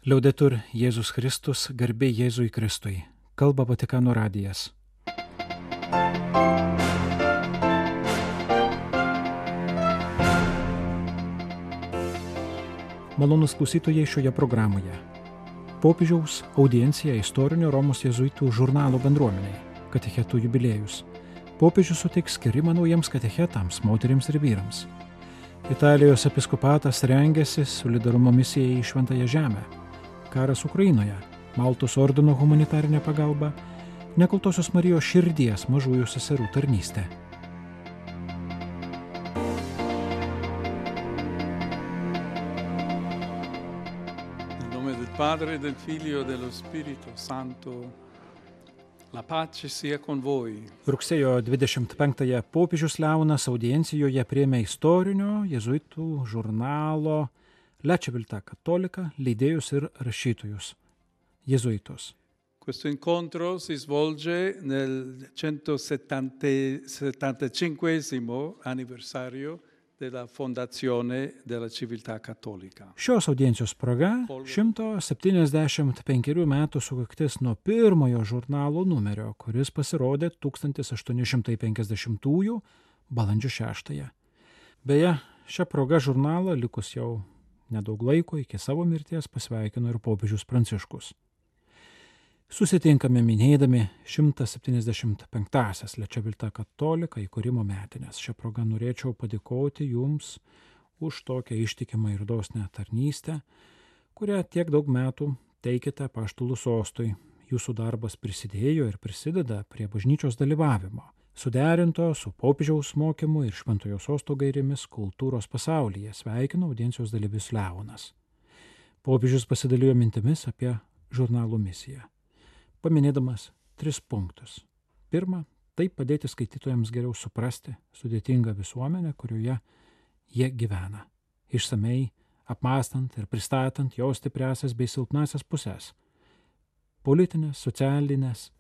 Liaudetur Jėzus Kristus, garbė Jėzui Kristui. Kalba Vatikano radijas. Malonūs klausytojai šioje programoje. Popiežiaus audiencija istorinio Romos jėzuitų žurnalo bendruomeniai. Katechetų jubiliejus. Popiežius suteiks skirimą naujiems katechetams, moterims ir vyrams. Italijos episkopatas rengiasi solidarumo misijai į Šventąją Žemę. Karas Ukrainoje, Maltos ordino humanitarinė pagalba, Nekaltosios Marijos širdies mažųjų seserų tarnystė. Nel nome del Padre, del Figlio e dello Spirito Santo, la pace sia con voi. Rugsėjo 25-ąją popiežius Leonas audiencijoje priėmė istorinio jėzuitų žurnalo La Civiltà Cattolica leidėjus ir rašytojus, jėzuitus. Questo incontro si svolge nel 175 anniversario della fondazione della Civiltà Cattolica. Šios audiencijos proga 175 metų sukaktis nuo pirmojo žurnalo numerio, kuris pasirodė 1850 balandžio 6. Beje, šią progą žurnalą likus jau nedaug laiko iki savo mirties pasveikino ir popiežius Pranciškus. Susitinkame minėdami 175-asias La Civiltà Cattolica įkūrimo metines. Šią progą norėčiau padėkoti jums už tokią ištikimą ir dosnią tarnystę, kurią tiek daug metų teikite apaštalų sostui. Jūsų darbas prisidėjo ir prisideda prie bažnyčios dalyvavimo, suderinto su popiežiaus mokymu ir Šventojo sosto gairėmis kultūros pasaulyje, sveikino audiencijos dalyvis Leonas. Popiežius pasidalijo mintimis apie žurnalo misiją, paminėdamas 3 punktus. Pirma, tai padėti skaitytojams geriau suprasti sudėtingą visuomenę, kurioje jie gyvena, išsamei apmąstant ir pristatant jos stipriasias bei silpnasias pusės, politinės, socialinės,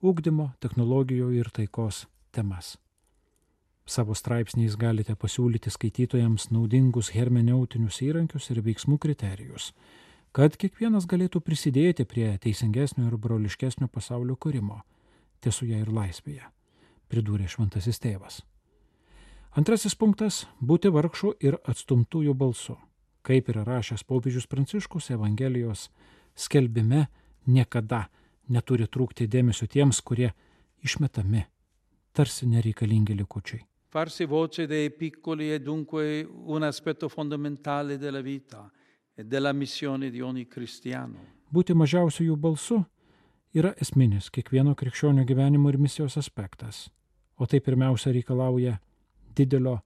ugdymo, technologijų ir taikos temas. Savo straipsniais galite pasiūlyti skaitytojams naudingus hermeneutinius įrankius ir veiksmų kriterijus, kad kiekvienas galėtų prisidėti prie teisingesnio ir broliškesnio pasaulio kūrimo, tiesoje ir laisvėje, pridūrė Šventasis Tėvas. Antrasis punktas – būti vargšų ir atstumtųjų balsu. Kaip yra rašęs popiežius Pranciškus Evangelijos skelbime, niekada neturi trūkti dėmesio tiems, kurie išmetami, tarsi nereikalingi likučiai. Farsi voce dei piccoli è dunque un aspetto fondamentale della vita e della missione di ogni cristiano. Būti mažiausiųjų balsu yra esminis kiekvieno krikščionio gyvenimo ir misijos aspektas, o tai pirmiausia reikalauja didelio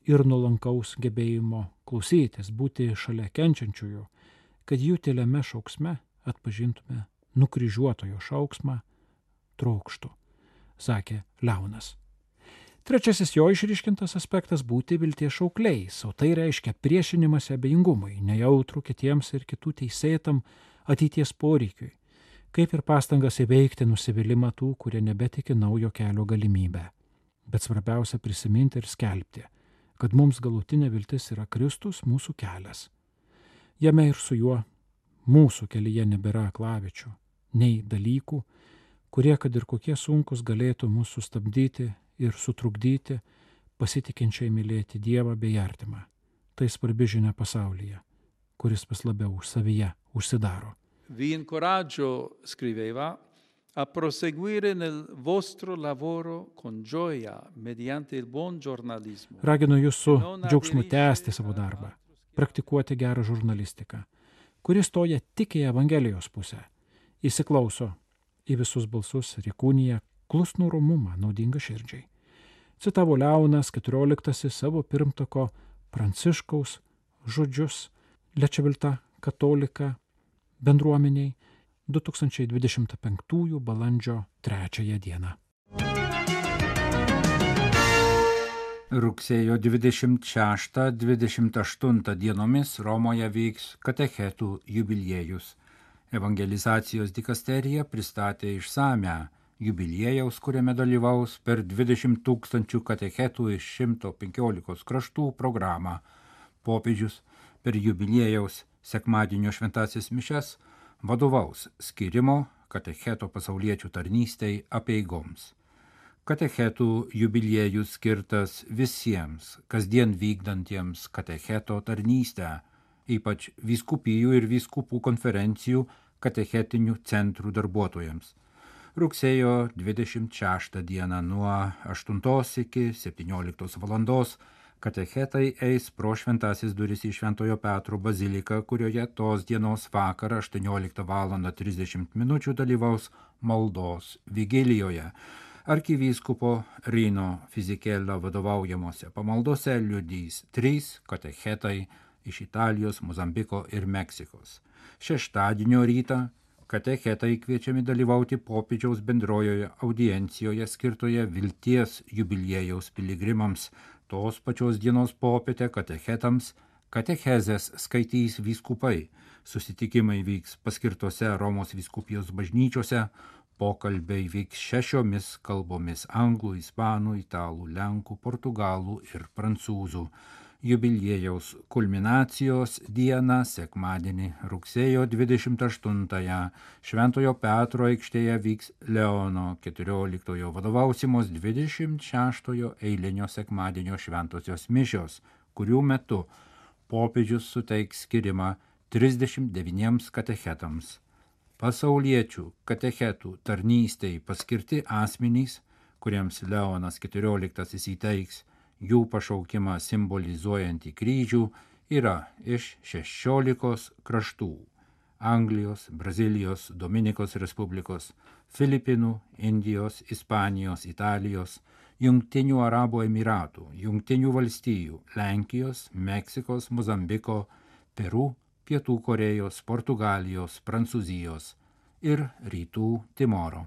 ir nuolankaus gebėjimo klausytis, būti šalia kenčiančiųjų, kad jų tyliame šauksme atpažintume nukryžiuotojo šauksmą trokštų, sakė Leonas. Trečiasis jo išryškintas aspektas – būti vilties šaukliais, o tai reiškia priešinimąsi abejingumui, nejautrų kitiems ir kitų teisėtam ateities poreikiui, kaip ir pastangas įveikti nusivylimą tų, kurie nebetiki naujo kelio galimybę. Bet svarbiausia prisiminti ir skelbti, kad mums galutinė viltis yra Kristus, mūsų kelias. Jame ir su juo mūsų kelyje nebėra aklavičių, nei dalykų, kurie, kad ir kokie sunkus, galėtų mus sustabdyti ir sutrukdyti pasitikinčiai mylėti Dievą bei artimą. Tai svarbi žinia pasaulyje, kuris vis labiau savyje užsidaro. Vi incoraggio, scriveva, a proseguire nel vostro lavoro con gioia mediante il buon giornalismo. Raginu jūs su džiaugsmu tęsti savo darbą, praktikuoti gerą žurnalistiką, kuris stoja tik į Evangelijos pusę, įsiklauso į visus balsus ir įkūnija klusnų romumą naudingą širdžiai. Citavo Leonas XIV savo pirmtako Pranciškaus žodžius La Civiltà Cattolica bendruomeniai 2025 balandžio 3 dieną. Rugsėjo 26-28 dienomis Romoje vyks katechetų jubiliejus. Evangelizacijos dikasterija pristatė išsamią jubiliejaus, kuriame dalyvaus per 20 000 katechetų iš 115 kraštų programą. Popiežius per jubiliejaus sekmadienio šventasis mišes vadovaus skyrimo katecheto pasauliečių tarnystei apeigoms. Katechetų jubiliejus skirtas visiems, kasdien vykdantiems katecheto tarnystę, ypač vyskupijų ir vyskupų konferencijų katechetinių centrų darbuotojams. Rugsėjo 26 dieną nuo 8 iki 17 valandos katechetai eis pro šventasis duris į Šventojo Petro baziliką, kurioje tos dienos vakarą 18:30 dalyvaus maldos vigilijoje. Arkivyskupo Rino Fisichella vadovaujamose pamaldose liudys 3 katechetai iš Italijos, Mozambiko ir Meksikos. Šeštadienio rytą katechetai kviečiami dalyvauti popiežiaus bendrojoje audiencijoje skirtoje vilties jubiliejaus piligrimams. Tos pačios dienos popietę katechetams katechezės skaitys vyskupai. Susitikimai vyks paskirtose Romos vyskupijos bažnyčiose. Pokalbiai vyks 6 kalbomis – anglų, ispanų, italų, lenkų, portugalų ir prancūzų. Jubiliejaus kulminacijos dieną, sekmadienį, rugsėjo 28-ąją, Šventojo Petro aikštėje vyks Leono XIV vadovausimos 26-ojo eilinio sekmadienio šventosios mišios, kurių metu popiežius suteiks skirimą 39 katechetams. Pasauliečių katechetų tarnystei paskirti asmenys, kuriems Leonas XIV įteiks jų pašaukimą simbolizuojantį kryžių, yra iš 16 kraštų – Anglijos, Brazilijos, Dominikos Respublikos, Filipinų, Indijos, Ispanijos, Italijos, Jungtinių Arabų Emiratų, Jungtinių Valstijų, Lenkijos, Meksikos, Mozambiko, Peru, Pietų Korėjos, Portugalijos, Prancūzijos ir Rytų Timoro.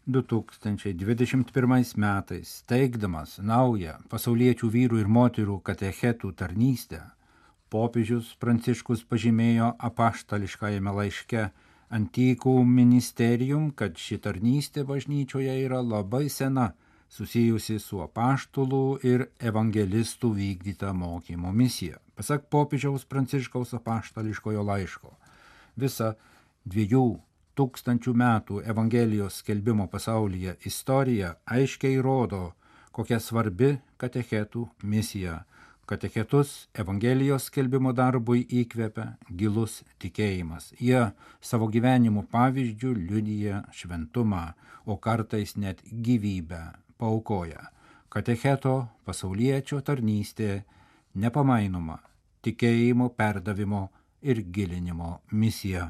2021 metais, teikdamas naują pasauliečių vyrų ir moterų katechetų tarnystę, popiežius Pranciškus pažymėjo apaštališkajame laiške Antiquum Ministerium, kad ši tarnystė bažnyčioje yra labai sena, susijusi su apaštalų ir evangelistų vykdyta mokymo misija. Pasak popiežiaus Pranciškaus apaštališkojo laiško, visa 2000 metų Evangelijos skelbimo pasaulyje istorija aiškiai rodo, kokia svarbi katechetų misija. Katechetus Evangelijos skelbimo darbui įkvepia gilus tikėjimas. Jie savo gyvenimo pavyzdžių liudija šventumą, o kartais net gyvybę paaukoja. Katecheto pasauliečio tarnystė nepamainoma tikėjimo perdavimo ir gilinimo misija.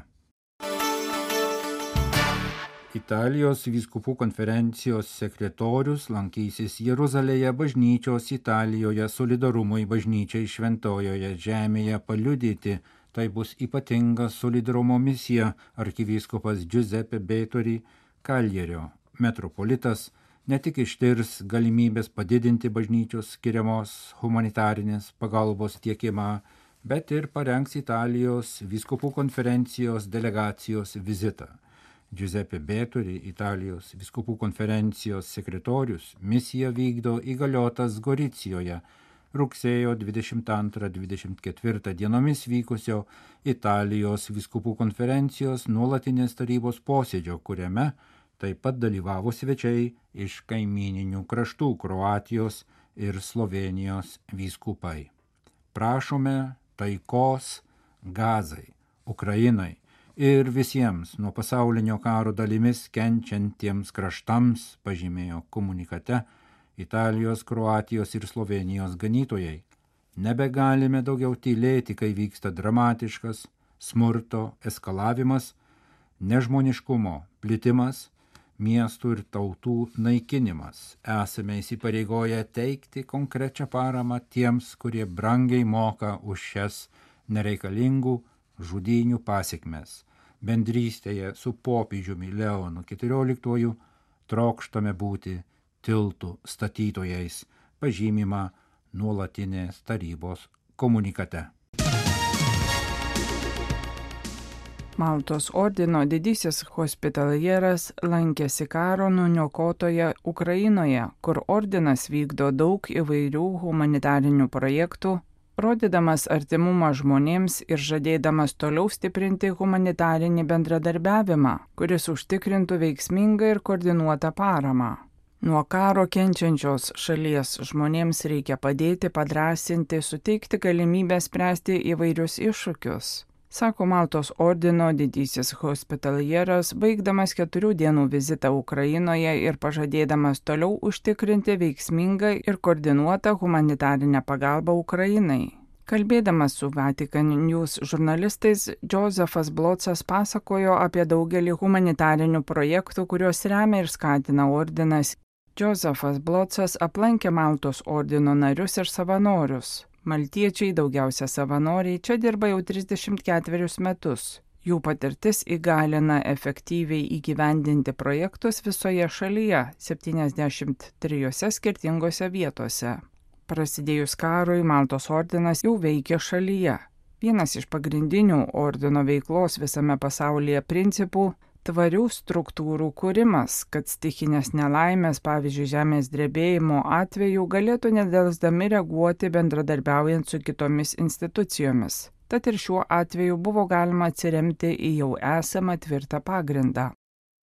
Italijos vyskupų konferencijos sekretorius lankysis Jeruzalėje bažnyčios Italijoje solidarumui bažnyčiai šventojoje žemėje paliudyti. Tai bus ypatinga solidarumo misija. Arkivyskupas Giuseppe Betori Kaljerio metropolitas ne tik ištirs galimybės padidinti bažnyčios skiriamos humanitarinės pagalbos tiekimą, bet ir parengs Italijos vyskupų konferencijos delegacijos vizitą. Giuseppe Betori, Italijos vyskupų konferencijos sekretorius, misiją vykdo įgaliotas Goricijoje rugsėjo 22-24 dienomis vykusio Italijos vyskupų konferencijos nuolatinės tarybos posėdžio, kuriame taip pat dalyvavo svečiai iš kaimyninių kraštų Kroatijos ir Slovenijos vyskupai. Prašome taikos Gazai, Ukrainai ir visiems nuo pasaulinio karo dalimis kenčiantiems kraštams, pažymėjo komunikate Italijos, Kroatijos ir Slovenijos ganytojai. Nebegalime daugiau tylėti, kai vyksta dramatiškas smurto eskalavimas, nežmoniškumo plitimas, miestų ir tautų naikinimas. Esame įsipareigoję teikti konkrečią paramą tiems, kurie brangiai moka už šias nereikalingų žudynių pasekmes. Bendrystėje su popiežiumi Leonu XIV trokštame būti tiltų statytojais, pažymima nuolatinės tarybos komunikate. Maltos ordino didysis hospitalieras lankėsi karo nuniokotoje Ukrainoje, kur ordinas vykdo daug įvairių humanitarinių projektų, rodydamas artimumą žmonėms ir žadėdamas toliau stiprinti humanitarinį bendradarbiavimą, kuris užtikrintų veiksmingą ir koordinuotą paramą. Nuo karo kenčiančios šalies žmonėms reikia padėti, padrąsinti, suteikti galimybę spręsti įvairius iššūkius, sako Maltos ordino didysis hospitalieras, baigdamas 4 dienų vizitą Ukrainoje ir pažadėdamas toliau užtikrinti veiksmingą ir koordinuotą humanitarinę pagalbą Ukrainai. Kalbėdamas su Vatican News žurnalistais, Josefas Blocas pasakojo apie daugelį humanitarinių projektų, kuriuos remia ir skatina ordinas. Josefas Blocas aplankė Maltos ordino narius ir savanorius. Maltiečiai, daugiausia savanoriai, čia dirba jau 34 metus. Jų patirtis įgalina efektyviai įgyvendinti projektus visoje šalyje, 73 skirtingose vietose. Prasidėjus karui, Maltos ordinas jau veikia šalyje. Vienas iš pagrindinių ordino veiklos visame pasaulyje principų – tvarių struktūrų kūrimas, kad stichinės nelaimės, pavyzdžiui, žemės drebėjimo atveju, galėtų nedelsdami reaguoti bendradarbiaujant su kitomis institucijomis. Tad ir šiuo atveju buvo galima atsiremti į jau esamą tvirtą pagrindą.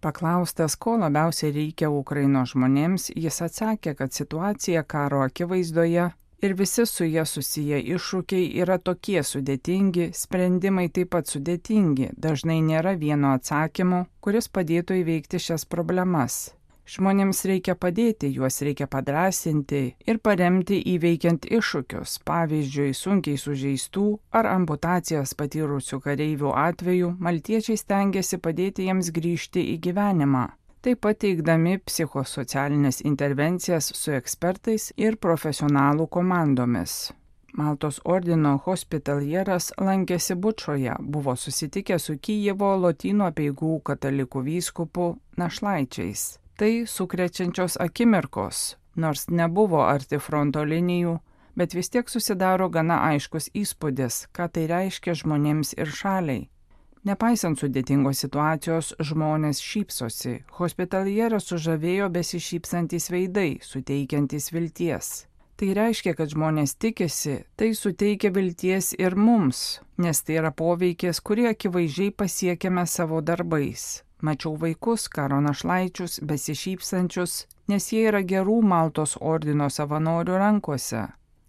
Paklaustas, ko labiausiai reikia Ukrainos žmonėms, jis atsakė, kad situacija karo akivaizdoje ir visi su jie susiję iššūkiai yra tokie sudėtingi, sprendimai taip pat sudėtingi, dažnai nėra vieno atsakymo, kuris padėtų įveikti šias problemas. Žmonėms reikia padėti, juos reikia padrąsinti ir paremti įveikiant iššūkius, pavyzdžiui, sunkiai sužeistų ar amputacijas patyrusių kareivių atveju, maltiečiai stengiasi padėti jiems grįžti į gyvenimą. Taip pat teikdami psichosocialinės intervencijas su ekspertais ir profesionalų komandomis. Maltos ordino hospitalieras lankėsi Bučoje, buvo susitikęs su Kijevo Lotynų apeigų katalikų vyskupu našlaičiais. Tai sukrečiančios akimirkos, nors nebuvo arti fronto linijų, bet vis tiek susidaro gana aiškus įspūdis, ką tai reiškia žmonėms ir šaliai. Nepaisant sudėtingos situacijos, žmonės šypsosi. Hospitalieras sužavėjo besišypsantys veidai, suteikiantys vilties. Tai reiškia, kad žmonės tikisi, tai suteikia vilties ir mums, nes tai yra poveikis, kurį akivaizdžiai pasiekėme savo darbais. Mačiau vaikus, karo našlaičius, besišypsančius, nes jie yra gerų Maltos ordino savanorių rankose.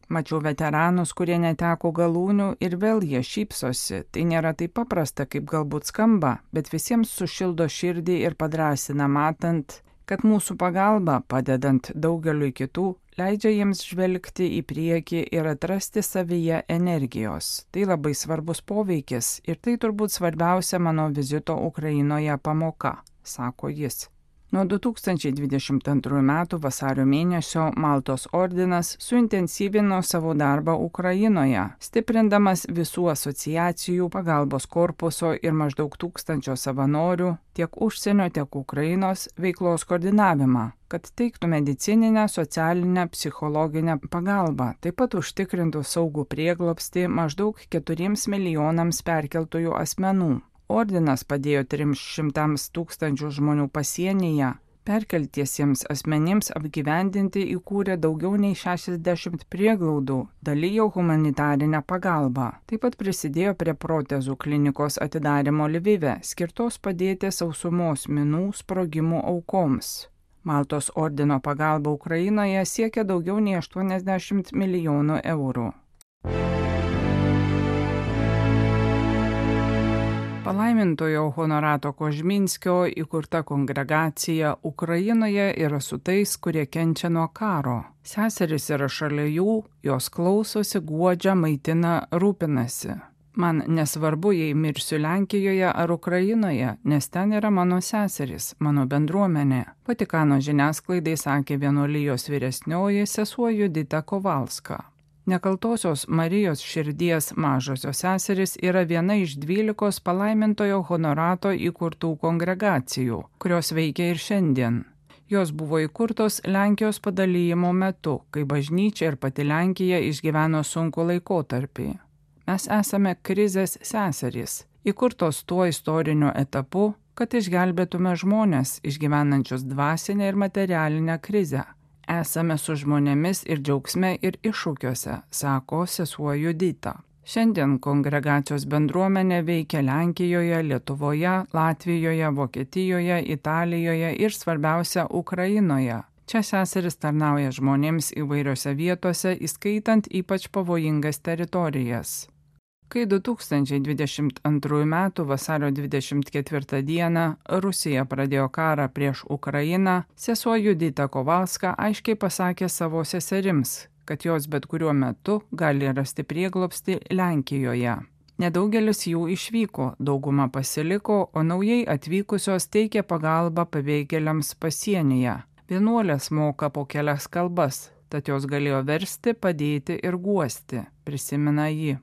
Mačiau veteranus, kurie neteko galūnių ir vėl jie šypsosi. Tai nėra taip paprasta, kaip galbūt skamba, bet visiems sušildo širdį ir padrąsina matant, kad mūsų pagalba, padedant daugeliui kitų, leidžia jiems žvelgti į priekį ir atrasti savyje energijos. Tai labai svarbus poveikis ir tai turbūt svarbiausia mano vizito Ukrainoje pamoka, sako jis. Nuo 2022 metų vasario mėnesio Maltos ordinas suintensyvino savo darbą Ukrainoje, stiprindamas visų asociacijų, pagalbos korpuso ir maždaug 1000 savanorių, tiek užsienio, tiek Ukrainos veiklos koordinavimą, kad teiktų medicininę, socialinę, psichologinę pagalbą, taip pat užtikrintų saugų prieglobstį maždaug 4 milijonams perkeltųjų asmenų. Ordinas padėjo 300 000 žmonių pasienyje, perkeltiesiems asmenims apgyvendinti įkūrė daugiau nei 60 prieglaudų, dalijo humanitarinę pagalbą. Taip pat prisidėjo prie protezų klinikos atidarymo Lvive, skirtos padėti sausumos minų sprogimų aukoms. Maltos ordino pagalba Ukrainoje siekia daugiau nei 80 milijonų eurų. Palaimintojo Honorato Kožminskio įkurta kongregacija Ukrainoje yra su tais, kurie kenčia nuo karo. Seserys yra šalia jų, jos klausosi, guodžia, maitina, rūpinasi. Man nesvarbu, jei mirsiu Lenkijoje ar Ukrainoje, nes ten yra mano seserys, mano bendruomenė. Vatikano žiniasklaidai sakė vienuolijos vyresnioji sesuo Judita Kovalska. Nekaltosios Marijos širdies mažosios seserys yra viena iš 12 palaimintojo Honorato įkurtų kongregacijų, kurios veikia ir šiandien. Jos buvo įkurtos Lenkijos padalijimo metu, kai bažnyčia ir pati Lenkija išgyveno sunkų laikotarpį. Mes esame krizės seserys, įkurtos tuo istoriniu etapu, kad išgelbėtume žmones išgyvenančius dvasinę ir materialinę krizę. Esame su žmonėmis ir džiaugsme, ir iššūkiuose, sako sesuo Judita. Šiandien kongregacijos bendruomenė veikia Lenkijoje, Lietuvoje, Latvijoje, Vokietijoje, Italijoje ir svarbiausia Ukrainoje. Čia seseris tarnauja žmonėms įvairiose vietose, įskaitant ypač pavojingas teritorijas. Kai 2022 m. vasario 24 d. Rusija pradėjo karą prieš Ukrainą, sesuo Judita Kovalska aiškiai pasakė savo seserims, kad jos bet kuriuo metu gali rasti prieglobstį Lenkijoje. Nedaugelis jų išvyko, dauguma pasiliko, o naujai atvykusios teikia pagalbą pabėgėliams pasienyje. Vienuolės moka po kelias kalbas, tad jos galėjo versti, padėti ir guosti, prisimena ji.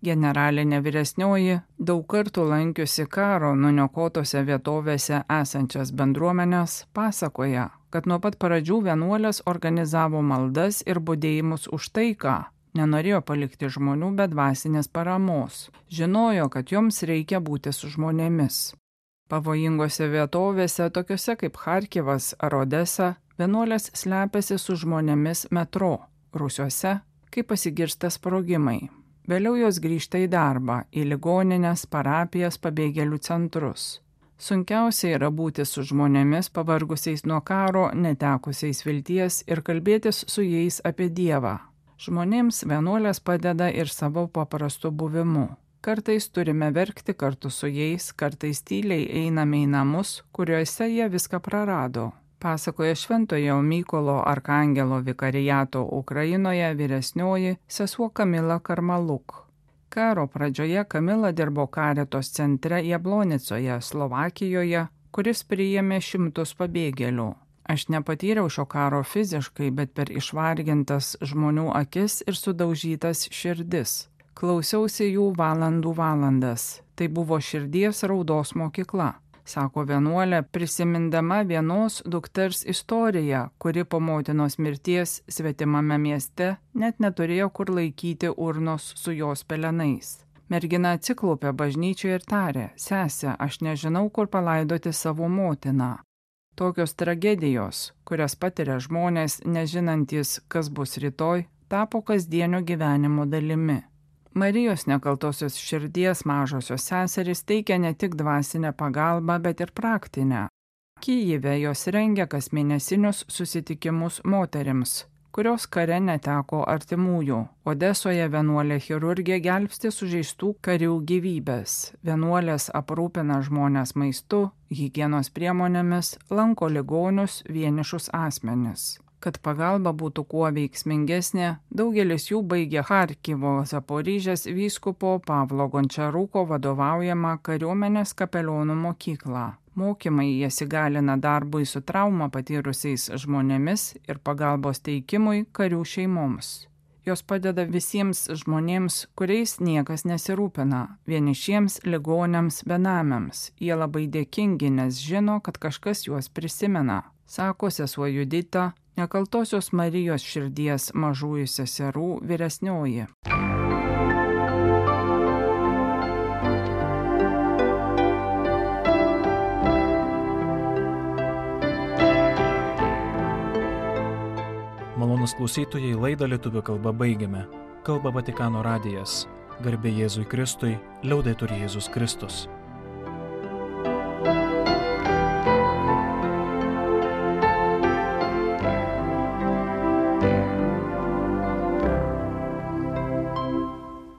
Generalinė vyresnioji, daug kartų lankiusi karo nuniokotose vietovėse esančias bendruomenės, pasakoja, kad nuo pat pradžių vienuolės organizavo maldas ir budėjimus už taiką, nenorėjo palikti žmonių be dvasinės paramos, žinojo, kad joms reikia būti su žmonėmis. Pavojingose vietovėse, tokiuose kaip Charkivas ar Odesa, vienuolės slepiasi su žmonėmis metro, rūsiuose, kai pasigirsta sprogimai. Vėliau jos grįžta į darbą, į ligonines, parapijas, pabėgėlių centrus. Sunkiausia yra būti su žmonėmis pavargusiais nuo karo, netekusiais vilties ir kalbėtis su jais apie Dievą. Žmonėms vienuolės padeda ir savo paprastu buvimu. Kartais turime verkti kartu su jais, kartais tyliai einame į namus, kuriuose jie viską prarado. Pasakoja Šventojo Mykolo Arkangelo vikariato Ukrainoje vyresnioji sesuo Kamila Karmaluk. Karo pradžioje Kamila dirbo Karitos centre Jablonicoje, Slovakijoje, kuris priėmė 100 pabėgėlių. Aš nepatyriau šio karo fiziškai, bet per išvargintas žmonių akis ir sudaužytas širdis. Klausiausi jų valandas. Tai buvo širdies raudos mokykla. Sako vienuolė, prisimindama vienos dukters istoriją, kuri po motinos mirties svetimame mieste net neturėjo kur laikyti urnos su jos pelenais. Mergina atsiklaupė bažnyčioje ir tarė, sese, aš nežinau, kur palaidoti savo motiną. Tokios tragedijos, kurias patiria žmonės, nežinantys, kas bus rytoj, tapo kasdienio gyvenimo dalimi. Marijos nekaltosios širdies mažosios seserys teikia ne tik dvasinę pagalbą, bet ir praktinę. Kyjive jos rengia kasmėnesinius susitikimus moterims, kurios kare neteko artimųjų. Odesoje vienuolė chirurgė gelbsti sužeistų karių gyvybės. Vienuolės aprūpina žmones maistu, higienos priemonėmis, lanko ligonius, vienišus asmenis. Kad pagalba būtų kuo veiksmingesnė, daugelis jų baigė Charkivo Zaporižės vyskupo Pavlo Gončaruko vadovaujamą kariuomenės kapelionų mokyklą. Mokymai jas įgalina darbui su traumą patyrusiais žmonėmis ir pagalbos teikimui karių šeimoms. Jos padeda visiems žmonėms, kuriais niekas nesirūpina, vienišiems, ligoniams, benamiams. Jie labai dėkingi, nes žino, kad kažkas juos prisimena, sako sesuo Judita, Nekaltosios Marijos širdies mažųjų seserų vyresnioji. Malonūs klausytojai, laidą lietuvių kalba baigiame. Kalba Vatikano radijas. Garbė Jėzui Kristui, liaudetur Jėzus Kristus.